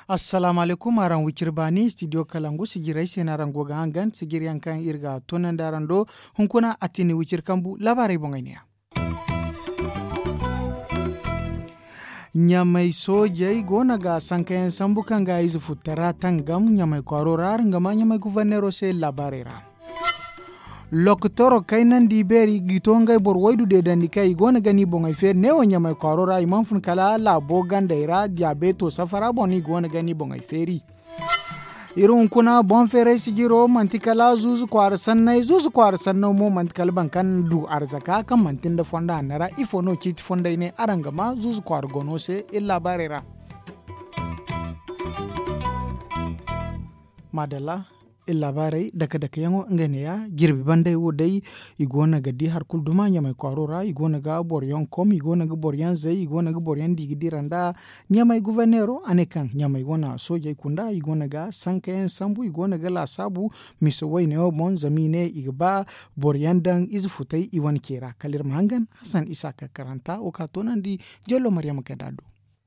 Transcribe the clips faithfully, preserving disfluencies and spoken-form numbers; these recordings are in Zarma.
Assalaamu alaykum, araŋ wiciri baani, studio kalangu sijirey se no araŋ go ga hangan sijiri yaŋ kaŋ iri ga toonandi araŋ do. Hunkuna a tini wiciri kambu laabaarey boŋey ne ya. Ɲamay soojey go no ga sankayaŋ sambu kaŋ ga ize futtara tangam ɲamay kwaaro ra, nga ma ɲamay guverneero se laabaarey ra. Lokotoro kaynandi beeri ga to ngey boro waydu deedandi kaŋ i go no ga ni boŋey feeri neewo ɲamay kwaaro ra i mana fun kala laabo gandey ra diyabeeto safara boŋ no i go no ga ni boŋey feeri. Iri hunkuna boŋ feeray sijiro manti kala zuuzu kwaara sanney zuuzu kwaara sanno mo manti kala boro kaŋ du arzaka kaŋ manti nda fondo hanno ra ifo no ciiti fondey ne araŋ ga ma zuuzu kwaara gono se iri laabaarey ra. Maadalla. Iri laabaarey dake-dake yaŋo ngey ne ya jirbi bandey wo day. I go no ga di hari kulu duma ɲamay kwaaro ra i go no ga boro yaŋ kom i go no ga boro yaŋ zay i go no ga boro yaŋ di ga dira nda ɲamay guverneero a ne kaŋ ɲamay wane soojey kunda i go no ga sankayaŋ sambu i go no ga laasaabu misa wayne wo boŋ zama i ne i ga ba boro yaŋ daŋ ize futay i wane ce ra kala iri ma hangan hasan isa ka karanta wo ka toonandi. Jallo maryama kay da do.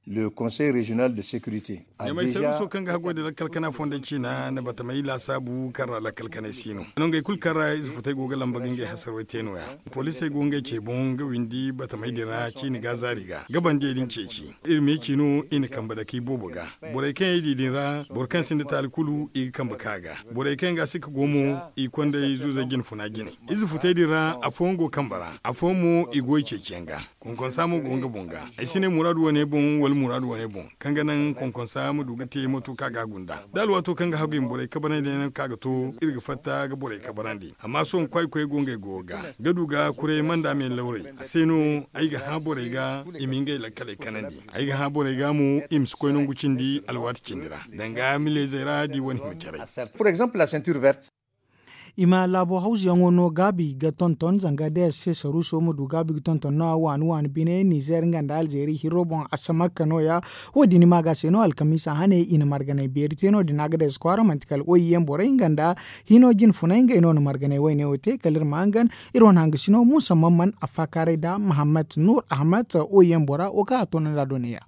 Le conseil régional de sécurité. Ɲamay serviso kaŋ ga haggoy da lakkal kana fondey ciina na batamey laasaabu kaŋ ra lakkal kanay si no nongey kulu kaŋ ra ize futay go ga lamba ga ngey hasarwey te no- ya. Poliisey go ngey ce boŋ ga windi batamey din ra ciini ga zaari ga gabandiyey din ceeci. Iri me ci no i na kambe dake i boobo ga. Borey kaŋ i di din ra boro kaŋ sinda taali kulu i ga kambe ka ga. Borey kaŋ ga si ka go mo i kondey zuuzey jinfuna jine. Ize futey din ra afooyaŋ go kambe ra afooyaŋ mo i go i ceeciyaŋ ga. Konkonsa mo go nga boŋ ga. Ay si ne muraadu wane boŋ wala muraadu wane boŋ kaŋ ga naŋ konkonsa ma du ga te mato kaŋ a ga hagu nd'a da alwaato kaŋ ga hagu i ma borey kabarandi yaŋ kaŋ a ga to iri ga fatta ga borey kabarandi amma sohõ kwaay koy go ngey go ga ga du ga kuray manda me lawrey. A se no ay ga hã borey ga i ma ngey lakkaley kanandi. Ay ga hã borey ga mo i ma si koy nangu cindi alwaati cindi ra danga mileyzey ra da i wane hima caray. I ma laabo hawzuyaŋo no gaabi ga tonton zanga da ya se saruuso ma du gaabi ga tonton no- ya waani waani bine nizer nga nda alzeeri hirro boŋ asamakka no- ya. Wo- din maaga se no alkamiisa hane i na marganay beeri te no- din a ga da ya si kwaara manti kala oyiyaŋ borey nga nda hino jinfunay ngey no na marganay wayne wo te kala iri ma hangan. Iri wane hangasino muusa mamman a faakaaray nda mahammat nuur ahmad oyiyaŋ bora wo kaŋ a toonandi a do ne- ya.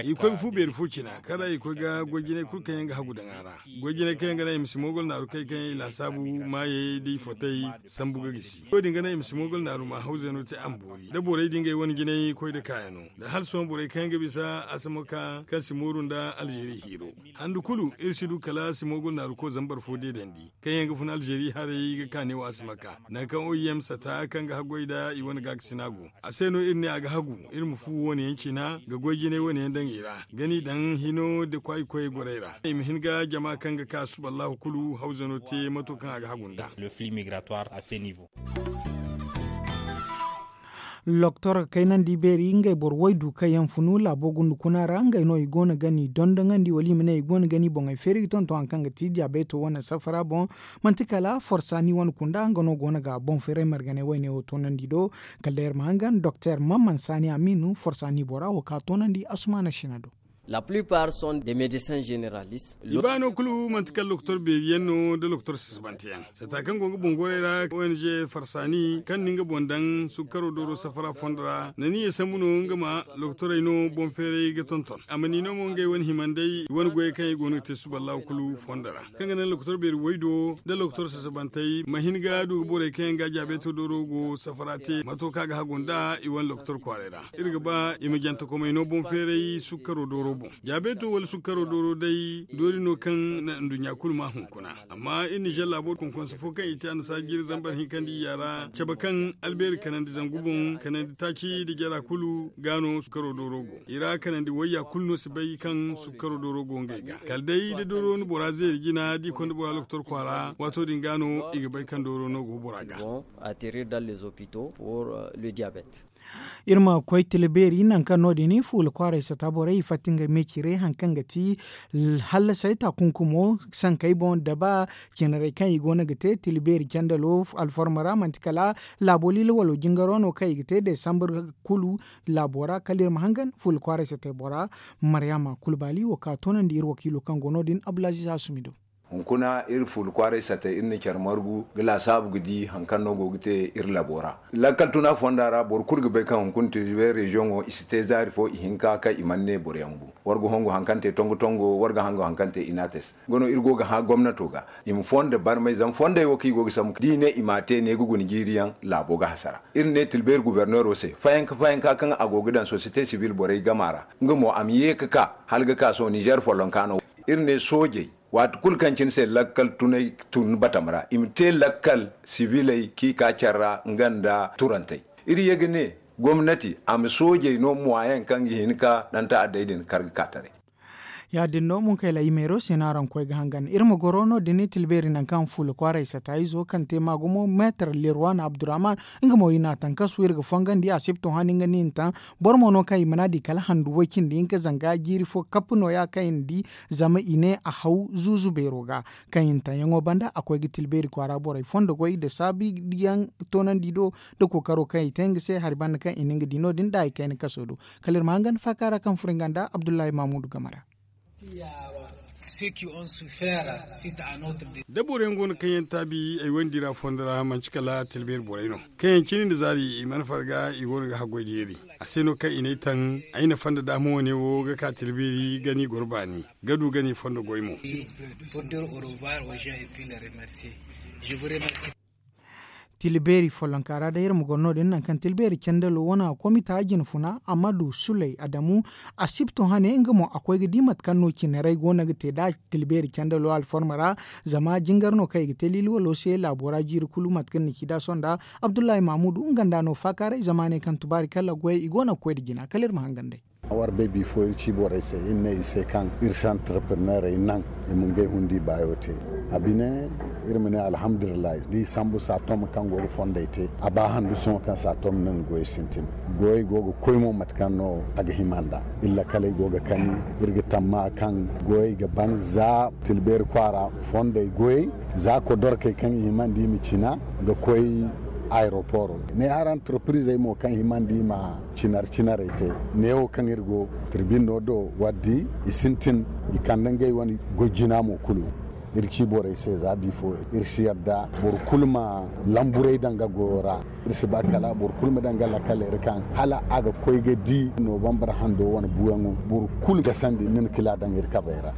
I koy ga fu beeri fo cina kaŋ ra i koy ga goy-jinay kulu kaŋ yaŋ ga hagu daŋ a ra. Goy-jinay kaŋ yaŋ ga naŋ i ma si moogol naaru kay kaŋ yaŋ i laasaabu maayey da i fotey sambu ga gisi wo- din ga naŋ i ma si moogol naaru ma hawzano te a ma boori da borey da ngey wane jinay koy da kaayano. Da hala sohõ borey kaŋ yaŋ ga bisa asamaka kaŋ si mooru nda alzeeri hiiro handu kulu iri si du kala si moogol naaru ko zambar fo deedandi kaŋ yaŋ ga fun alzeeri haray ga kaane wo asamaka. Nangu kaŋ oim sata kaŋ ga haggoy nda i wane gaakasina go a se no iri ne a ga hagu iri ma fu wane yaŋ cina ga goy jinay wane yaŋ daŋ i ra ga ni daŋ hino nda kwaay koyey gorey ra i ma hin ga jama kaŋ ga ka suballahu kulu hawzano te mato kaŋ a ga hagu nd'a. Loktor kaynandi beeri ngey boro waydu kaŋ yaŋ funu laabo gundu kuna ra ngey no i go no ga ni dondoŋandi wala i ma ne i go no ga ni boŋey feeri ga tonton hari kaŋ ga ti diyabeeto wane safara boŋ. Manti kala forsaani wane kunda nga no go no ga boŋ feeray marganay wayne wo toonandi do. Kala day iri ma hangan doktor mamman saani amiinu forsaani bora wo ka toonandi asumaana sina do. La plupart sont des médecins généralistes. I baano kulu manti kala lokotor beeri yaŋ no nda lokotor sasabante yaŋ sata kaŋ go ga boŋ gorey ra ong farsaani kaŋ na nga boŋ daŋ sukkaro dooro safara fondo ra na ni ye sambu no nga ma lokotorey no boŋ feeray ga tonton a ma ni no mo ngey wane himandey i wane goyey kaŋ i go no ga te suballahu kulu fondo ra kaŋ ga naŋ lokotor beeri waydo nda lokotor sasabantey ma hin ga du ga borey kaŋ yaŋ ga jaabeeto dooro go safara te mato kaŋ a ga hagu nda i wane lokotor kwaaray ra. Iri ga ba i ma jantakomey no boŋ feeray sukkaro dooro boŋ. Jaabeeto wala sukkaro dooro day doori no kaŋ na nduɲɲa kulu ma hunkuna. Amma iri nizer laabo konkonse fo kaŋ i te annasaara jiiri zambar hinkandi iyya ra cabe kaŋ albeeri kanandi zangu boŋ kanandi taaci nda jara kulu ga no sukkaro dooro go i ra kanandi wayya kulu no si bay kaŋ sukkaro dooro go ngey ga kala day da dooro na bora zeeri jina da i konda bora lokotor kwaara waato din ga no i ga bay kaŋ dooro no go bora ga. Atterrir dans les hôpitaux pour le diabète. Iri ma koy tila beeri nangu kaŋ no- din fuula kwaaray sata borey i fatta ngey me cire hari kaŋ ga ti hallasay taakunkumo sankey boŋ da ba cinarey kaŋ i go no ga te tila beeri candalo alforma ra manti kala laabo liila wala jingaro no kaŋ i ga te desambar kulu laabo ra kala iri ma hangan fuula kwaaray satey bora. Maryaama kulbaali wo ka toonandi iri wakiilo kaŋ go no- din abdulaziiz hasumi do. Hunkuna iri fuula kwaaray satey iri na care margu ga laasaabu ga di hari kaŋ no go ga te iri labo ra. Lakkal tuna fonda ra boro kulu ga bay kaŋ hunkuna tilbe reziyoŋo i si te zaari fo i hinka kaŋ i mana ne boro yaŋ bu. War ga hongu hari kaŋ te tongo tongo war ga hangu hari kaŋ te inates. Nga no iri go ga hã gomnato ga i ma fonda barmay zama fondey wo kaŋ i go ga sambu da i ne i m'a te ne ga guna jiiri yaŋ laabo ga hasara. Iri ne tilbeeri guberneero se fayanka fayanka kaŋ a go ga daŋ sosiyete sibil borey gama ra nga mo a ma ye ga ka hala ga ka sohõ nizer follonka no. Iri ne soojey waati kulu kaŋ cine se lakkal tunay tun batam ra i ma te lakkal sibiley kaŋ i ka care ra nga nda turantey. Iri ye ga ne gomnati a ma soojey no muwaayaŋ kaŋ ga hin ka daŋ ta'addey din kar ga ka taray. Ya- din no munkayla i meero se no araŋ koy ga hangan iri ma goro no- din i tilbeeri nangu kaŋ fuula kwaaray sata izo kaŋ te ma gumo meetar lerwan abdurrahman. Nga mo i n'a taŋ kasu iri ga fongandi a sibto hani nga no i na taŋ. Boro mo no kaŋ i mana di kala handu way cindi hinka zanga jiiri fo kapp nooya kaŋ i na di zama i ne a haw zuuzu beero ga. Kaŋ i na taŋ yaŋo banda a koy ga tilbeeri kwaara borey fondo goy nda saabu yaŋ toonandi do nda kookaro kaŋ i te nga se hari banda kaŋ i na nga di no- din nda hari kayna kaso do. Kala iri ma hangan faaka ra kaŋ furo nga nda abdullahi mamudu game ra. Da boro yaŋ go no kaŋ yaŋ taabi ay wandi ra fondo ra manti kala tilbeeri borey no kaŋ yaŋ cine nda zaari i mana farga i go no ga haggoy da yeeri. A se no kaŋ i n'ay taŋ ay na fonda daama wane wo ga ka tilbeeri gani goro baani ga du gani fondo goy mo. Tilbeeri follonka ra day iri ma goro no- din nangu kaŋ tilbeeri candalo wane a komita jinfuna amadu suley adamu. A sibto hane nga mo a koy ga di mate kaŋ no cinarey go no ga te nd'a tilbeeri candalo alforma ra. Zama jingar no kaŋ i ga te liili walo se laabo ra jiiri kulu mate kaŋ ni ci nd'a sonda. Abdullahi mamudu nga nda no faakaaray zama ne kaŋ tubaari kala goyey i go no ga koy nda jina kala iri ma hangan day. War bay bifo iri ci borey se iri ne i se kaŋ iri si antarpreneerey naŋ i ma ngey hundi baayo te. A bine iri ma ne alhamdulillahi da i sambu saatom kaŋ go ga fondey te a ba handu sohõ kaŋ saatom naŋ goy sintin. Goyey go ga koy mo mate kaŋ no a ga hima nd'a. Iri lakaley go ga kani iri ga tamma kaŋ goyey ga ban za tilbeeri kwaara fondey goyey za kodorkey kaŋ i himandi i ma cina ga koy aeroporo ne hari antarprizey mo kaŋ himandi i ma cinar cinarey te. Neewo kaŋ iri go tirbinno do waddi i sintin i kande ngey wane goy jina mo kulu. Iri ci borey se za bifo iri si yadda boro kulu ma lamburey daŋ ga goyo ra. Iri si ba kala boro kulu ma daŋ ga lakkal iri kaŋ hala a ga koy ga di nobambar hando wane buyaŋo boro kulu ga sandi nin kila daŋ iri kabey ra.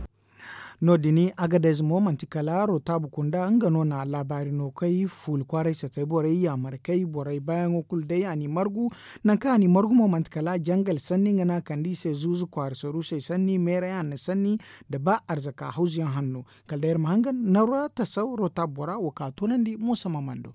No- din agadez mo manti kala rotaabu kunda nga no na laabaari no kay fuula kwaaray satay borey yaamarkey borey baayaŋo kulu day a n'i margu. Nangu kaŋ a n'i margu mo manti kala jangal sanni nga no a kande i se zuuzu kwaara sarusey sanni meeray hanno sanni nda ba arzaka hawzuyaŋ hanno. Kala day iri ma hangan narwa tasaw rotaabu bora wo ka toonandi muusa ma mando.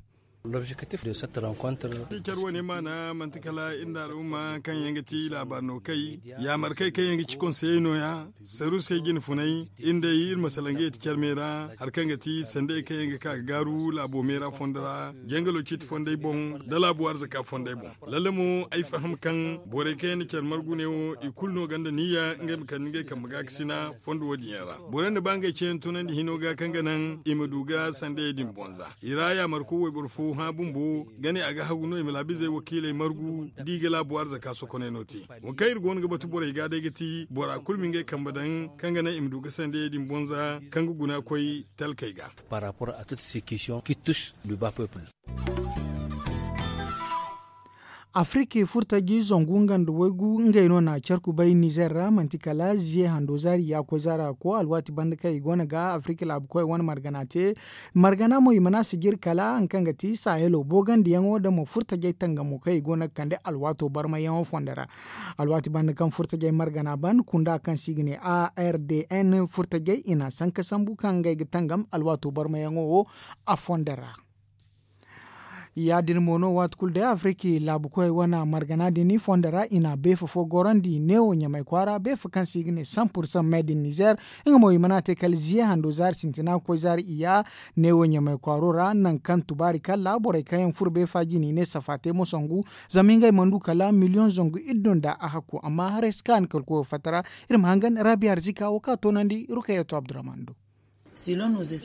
Care wane maana manti kala iri nda al'umma kaŋ yaŋ ga ti laabaari no kay yaamarkey kaŋ yaŋ ga ci konseyey nooya. Saruusey jine funay iri nd'ey iri ma salaŋ ga yeti care me ra hari kaŋ ga ti sandey kaŋ yaŋ ga ka ga gaaru laabo me ra fondo ra jangalo ciiti fondey boŋ nda laabu arzaka fondey boŋ. Lalle mo ay faham kaŋ borey kaŋ yaŋ na care margu ne wo i kulu no gonda niyya ngey ma kande ngey kambe gaakasina fondo wo- din yaŋ ra. Borey nda ba ngey ceeyaŋ tunandi hino ga kaŋ ga naŋ i ma du ga sandey din boŋ za i ra yaamarko wayboro fo hã bumbo ga ne a ga hagu no i ma laabizey wakiiley margu da i ga laabu arzaka sokoney no te. Wo kaŋ iri go no ga batu borey ga day ga ti bora kulu ma ngey kambe daŋ kaŋ ga naŋ i ma du ga sandey din boŋ za kaŋ ga guna koy talkey ga. Afiriki furtaji zangu nga nda waygu ngey no na care kubay nizer ra manti kala ziye hando zaari ya koy zaara ko alwaati banda kaŋ i go no ga afiriki laabu koy wane margana te. Margana mo i mana sijiri kala hari kaŋ ga ti sahelo boogandiyaŋo nda mo furtajey tangamo kaŋ i go no ga kande alwaato barmayyaŋo fondo ra. Alwaati banda kaŋ furtajey margana ban kunda kaŋ se i ga ne ardn furtajey i na sanka sambu kaŋ ngey ga tangam alwaato barmayyaŋo wo a fondo ra. Ya- din mo no waati kulu day afiriki laabu koyey wane margana din fondo ra i na beefa fo gorandi neewo ɲamay kwaara beefa kaŋ se i ga ne san pursan me din nizer. Nga mo i mana te kala ziye hando zaari sintina ga koy zaari iyya. Neewo ɲamay kwaaro ra nangu kaŋ tubaari kalla borey kaŋ yaŋ furo beefa jine i ne safa te mo sangu. Zama ngey mana du kala miliyoŋ zangu iddu nda a hakku amma haray si kaanu kala koyo fatta ra. Iri ma hangan raabi arzika wo kaŋ a toonandi rukayatu abdurrahman do.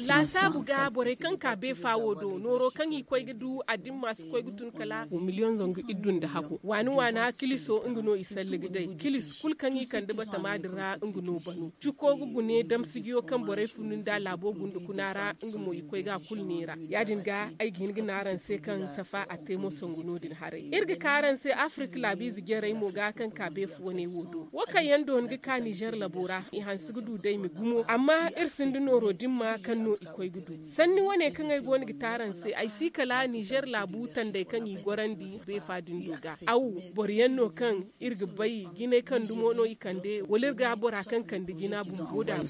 Laasaabu ga borey kaŋ ka beefa wo do nooro kaŋ i koy ga du a dimma si koy ga tun kala miliyoŋ zangu iddu nda hakku waani waana kiliso nga no i salli ga day kilis kulu kaŋ i kande batama din ra nga no banu. Cuko ga gune damsijiyo kaŋ borey funu nda laabo gunda kuna ra nga mo i koy ga a kulu neera. Ya- din ga ay ga hin ga ne araŋ se kaŋ safa a te mo sangu no- din haray iri ga ka araŋ se afirika laabiize jarey mo ga kaŋ ka beefa wane wo do wo kaŋ yaŋ dooni ga ka nizer labo ra i hanse ga du day ma gumo amma iri sinda nooro dimma kaŋ no i koy ga du. Sanni wane kaŋ ay go no ga te araŋ se ay si kala nizer laabu tandey kaŋ i gorandi beefa din do ga aw boro yaŋ no kaŋ iri ga bay jinay kaŋ dumo no i kande wala iri ga bora kaŋ kande jina bumbo da.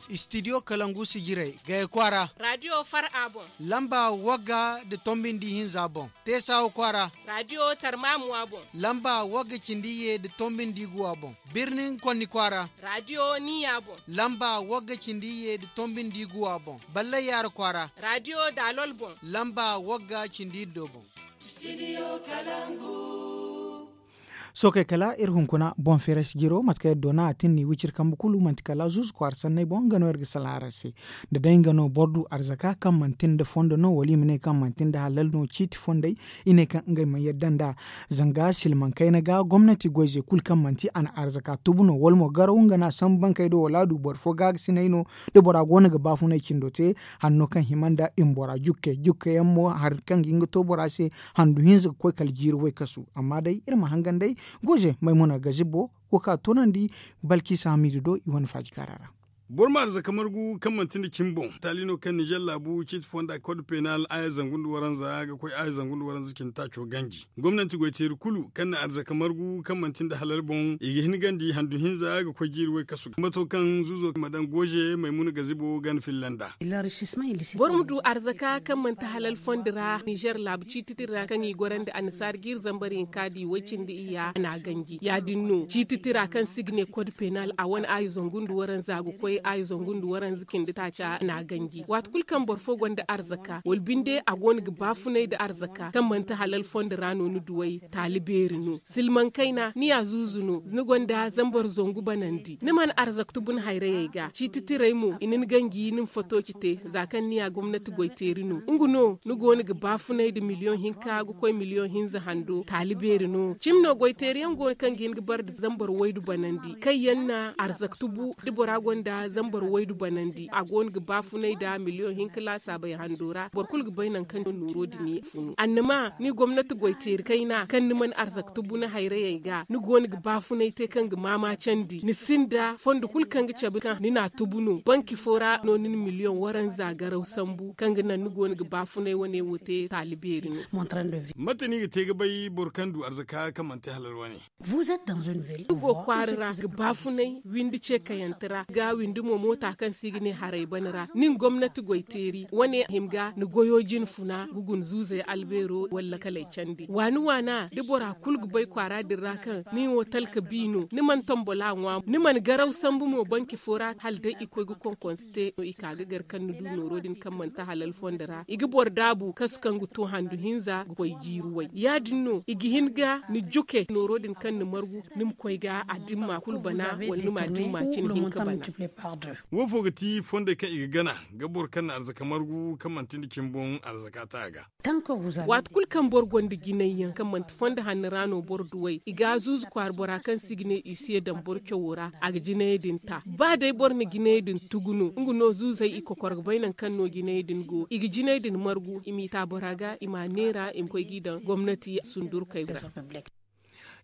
Istidiyo kalangu sijirey gaya kwaara. Raadiyo far a boŋ. Lamba wagga nda tombi nda ihinza boŋ teesa wo kwaara. Raadiyo tarmamu a boŋ. Lamba wagga cindi ye nda tombi nda iguwa boŋ birnin konni kwaara. Raadiyo niya boŋ. Lamba wagga cindi ye nda tombi nda iguwa boŋ ballay yaara kwaara. Raadiyo daalol boŋ. Lamba wagga cindi iddo boŋ. Sookey kala iri hunkuna boŋ feeray si jiro mate kaŋ iri doona a tin ni wiciri kambe kulu manti kala zuuzu kwaara sanney boŋ nga no iri ga salaŋ araŋ se. Da day nga no boro du arzaka kaŋ manti nda fondo no wala i ma ne kaŋ manti nda halal no ciiti fondey. I ne kaŋ ngey mana yadda nd'a zanga silmaŋ kayna ga gomnati goyze kulu kaŋ manti a na arzaka tubu no wala mo garaw nga no a sambu bankey do wala a du boro fo gaagasiney no. Da bora go no ga baafunay cindo te hanno kaŋ hima nda i ma bora jukke jukke yaŋ mo hari kaŋ ga hin ga to bora se handu hinza ga koy kala jiiri waykasu amma day iri ma hangan day goyze maymuna gazibo wo kaŋ a toonandi balkisa hamidu do i wane faaji kaara ra. Boro ma arzaka margu kaŋ manti nda cimi boŋ taali no kaŋ nizer laabu ciiti fonda kod penal aya zangu nda waranza ga koy aya zangu nda waranza cindi taaco ganji gomnanti goyteeri kulu kaŋ na arzaka margu kaŋ manti nda halal boŋ i ga hin gandi handu hinza ga koy jiiri waykasu ga mato kaŋ zuuzo ma daŋ goze maymuna gazibo gana filla nda. Boro ma du arzaka kaŋ manti halal fondi ra nizer laabu ciiti tira kaŋ i gorandi annasaara jiiri zambar hinka di way cindi iyya a na a ganji ya- din no ciiti tira kaŋ se i ga ne kod penal a wane aayi zangu nda waranza ga koy aayi zangu nda waranza cindi taaca a na a ganji waati kulu kaŋ boro fo gonda arzaka wala binde a go no ga baafunay nda arzaka kaŋ manti halal fondi ra no ni duway taali beeri no silmaŋ kayna ni ya zuuzu no ni gonda zambar zangu banandi ni mana arzaka tubu ni hayrayey ga ciiti tirey mo i na ni ganji ni ma fatooci te za kaŋ ni ya gomnati goyteeri no nga no ni go no ga baafunay nda miliyoŋ hinka ga koy miliyoŋ hinza hando taali beeri no cimi no goyteeri yaŋ go no kaŋ ga hin ga bare nda zambar waydu banandi kaŋ yaŋ na arzaka tubu da bora gonda zambar waydu banandi a go no ga baafunay nda miliyoŋ hinka laasaabey hando ra boro kulu ga bay nangu kaŋ nooro din ya funu annama ni gomnati goyteeri kayna kaŋ ni mana arzaka tubu ni hayrayey ga ni go no ga baafunay te kaŋ ga maama candi ni sinda fondo kulu kaŋ ga cabe kaŋ ni na a tubu no banki fo ra no ni na miliyoŋ waranza garaw sambu kaŋ ga naŋ ni go no ga baafunay wane wo te taali beeri no. Mate no i ga te ga bay boro kaŋ du arzaka kaŋ manti halal wane? Ni go kwaara ra ga baafunay windi ce kayante ra ga windi mo moota kaŋ se i ga ne haray bane ra nin gomnati goyteeri wane hima ga ni goyo jine funa ga guna zuuzey albeero wala lakaley candi waani waana da bora kulu ga bay kwaara din ra kaŋ nin wo talka bi no ni mana tombola ŋwa ni mana garaw sambu mo banki fo ra hala day i koy ga konkonse te no i ka ga gar kaŋ ni du nooro din kaŋ manti halal fondo ra i ga boro daabu kasu kaŋ ga to handu hinza ga koy jiiri way ya- din no i ga hin ga ni juke nooro din kaŋ ni margu ni ma koy ga a dimma kulu bana wala ni ma dimma cine hinka bana. Wo fo ga ti fondey kaŋ i ga gana ga boro kaŋ na arzaka margu kaŋ manti nda cimi boŋ arzaka ta a ga? Waati kulu kaŋ boro gonda jinay yaŋ kaŋ manti fondo hanno ra no boro duwey i ga a zuuzu kwaara bora kaŋ se i ga ne i si ye daŋ boro cawo ra a ga jinayey din ta ba day boro na jinayey din tugu no nga no zuuzey i kokor ga bay nangu kaŋ no jinayey din go i ga jinayey din margu i m'i ta bora ga i m'a neera i ma koy g'i daŋ gomnati sundurkey ra.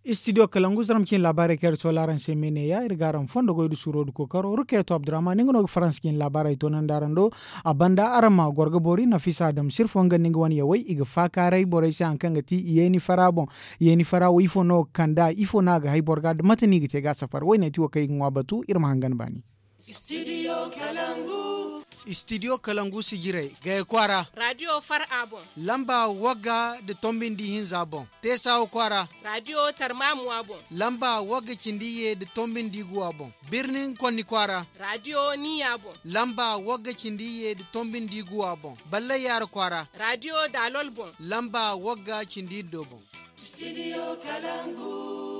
Istidiyo kalangu zaram cine laabaarey kaŋ iri soola araŋ se me neeya iri ga araŋ fondo goy nda suuro nda kookaro rukeeto abdurrahman nga no ga faransa cine laabaarey toonandi araŋ do. A banda araŋ ma goro ga boori nafisa adam sirfo nga nda nga wane yawey i ga faakaaray borey se hari kaŋ ga ti yeeni fara boŋ. Yeeni fara wo ifo no ga kand'a ifo no a ga hay boro ga nda mate no i ga te ga a safar woyne ti wo kaŋ i ga ŋwa batu iri ma hangan baani. Studio kalangu. Istidiyo kalangu sijirey gaya kwaara. Raadiyo far a boŋ. Lamba wagga da tombi nda ihinza boŋ. Teesawa kwaara. Raadiyo tarmaamuwa boŋ. Lamba wagga cindi iyye da tombi nda iguwa boŋ. Birnin konni kwaara. Raadiyo niya boŋ. Lamba wagga cindi iyye da tombi nda iguwa boŋ. Ballay yaara kwaara. Raadiyo daalol boŋ. Lamba wagga cindi iddo boŋ. Istidiyo kalangu.